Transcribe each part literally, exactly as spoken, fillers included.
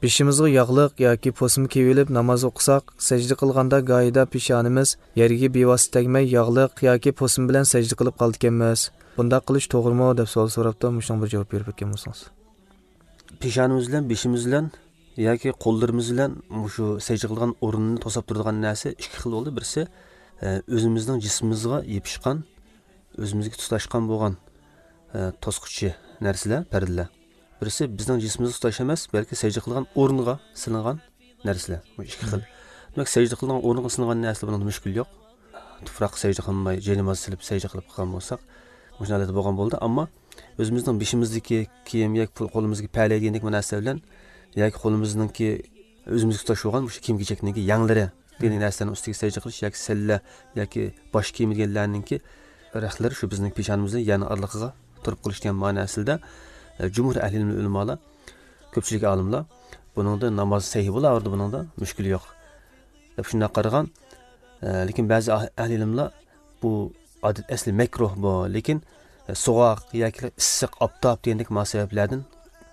بېشىمىزغا ياغلىق ياكى پوسما كىيىۋېلىپ ناماز ئوقۇساق، سەجدە قىلغاندا گاھىدا پېشانىمىز يەرگە بىۋاسىتە تەگمەي، ياغلىق ياكى پوسما بىلەن سەجدە قىلىپ قالىدىكەنمىز. بۇنداق قىلىش توغرىمۇ؟ دەپ سوئال سوراپتۇ. مۇشۇنىڭغا بىر جاۋاب بېرىپ ئۆتكەن بولسىڭىز. پېشانىمىز بىلەن بېشىمىز بىلەن ياكى قوللىرىمىز بىلەن مۇشۇ سەجدە قىلىدىغان ئورۇننى توساپ تۇرىدىغان نەرسە ئىككى خىل بولدى. بىرسى، ئە، ئۆزىمىزنىڭ جىسمىمىزغا يېپىشقان، ئۆزىمىزگە تۇتاشقان بولغان، ئە، توسقۇچى نەرسىلەر، پەردىلەر. بىرسى بىزنىڭ جىسمىمىزغا تۇتاش ئەمەس، بەلكى سەجدە قىلغان ئورۇنغا سېلىنغان نەرسىلەر. بۇ ئىككى خىل. دېمەك، سەجدە قىلىدىغان ئورۇنغا سېلىنغان نەرسىلەر، بۇنىڭدا مۈشكۈل يوق. تۇپراققا سەجدە قىلماي، جايناماز سېلىپ سەجدە قىلىپ قىلغان بولساق، مۇشۇ ھالەتتە بولغان بولدى. ئەمما ئۆزىمىزنىڭ بېشىمىزدىكى كىيىم ياكى پۇ-، قولىمىزدىكى پەلەي دېگەندەك بۇ نەرسە بىلەن ياكى قولىمىزنىڭكى ئۆزىمىزگە تۇتاش بولغان مۇشۇ كىيىم-كېچەكنىڭكى يەڭلىرى دېگەن نەرسىلەرنىڭ ئۈستىگە سەجدە قىلىش ياكى سەللە ياكى باش كىيىمى دېگەنلەرنىڭكى رەختلىرى شۇ بىزنىڭ پېشانىمىز بىلەن يەرنىڭ ئارىلىقىغا تۇرۇپ قېلىش دېگەن مەنىسىدە، ئە، جۇمھۇر ئەھلى ئىلىم ئۆلىمالار، كۆپچىلىك ئالىملار بۇنىڭدا ناماز سەھىھ بولاۋېرىدۇ، بۇنىڭدا مۈشكۈل يوق دەپ شۇنداق قارىغان. ئە، لېكىن بەزى ئەھ-، ئەھلى ئىلىملار بۇ ئادەت ئەسلى مەكرۇھ بۇ، لېكىن، ئە، سوغۇق ياكى ئىسسىق ئاپتاپ دېگەندەك مۇناسىۋەتلەردىن،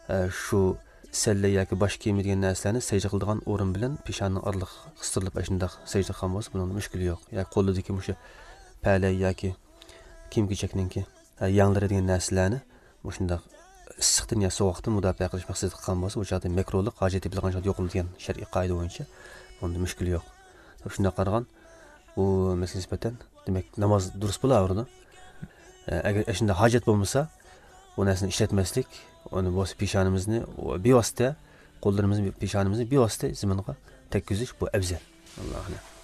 ئە، شۇ سەللە ياكى باش كىيىمى دېگەن نەرسىلەرنى سەجدە قىلىدىغان ئورۇن بىلەن پېشانىنىڭ ئارىلىقى قىستۇرۇلۇپ، ئاشۇنداق سەجدە قىلغان بولسا، بۇنىڭدا مۈشكۈل يوق. ياكى قولىدىكى مۇشۇ پەلەي ياكى كىيىم-كېچەكنىڭكى، ئە، يەڭلىرى دېگەن نەرسىلەرنى مۇشۇنداق ئىسسىقتىن يا سوغۇقتىن مۇداپىئە قىلىش مەقسىتىدە قىلغان بولسا، بۇ چاغدا مەكرۇھلۇق ھاجەت تېپىلغان چاغدا يوقىلىدۇ دېگەن شەرئىي قائىدە بويىچە بۇنىڭدا مۈشكۈل يوق. شۇنداق قارىغان، بۇ مەسىلىگە نىسبەتەن، دېمەك، ناماز دۇرۇس بولاۋېرىدۇ. ئە، ئەگەر ئاشۇنداق ھاجەت بولمىسا، بۇ نەرسىنى ئىشلەتمەسلىك، ئۇنى بولسا پېشانىمىزنى بىۋاسىتە، قوللىرىمىزنى، پېشانىمىزنى بىۋاسىتە زېمىنغا تەگكۈزۈش، بۇ ئەۋزەل. ئاللاھۇ ئەلەم.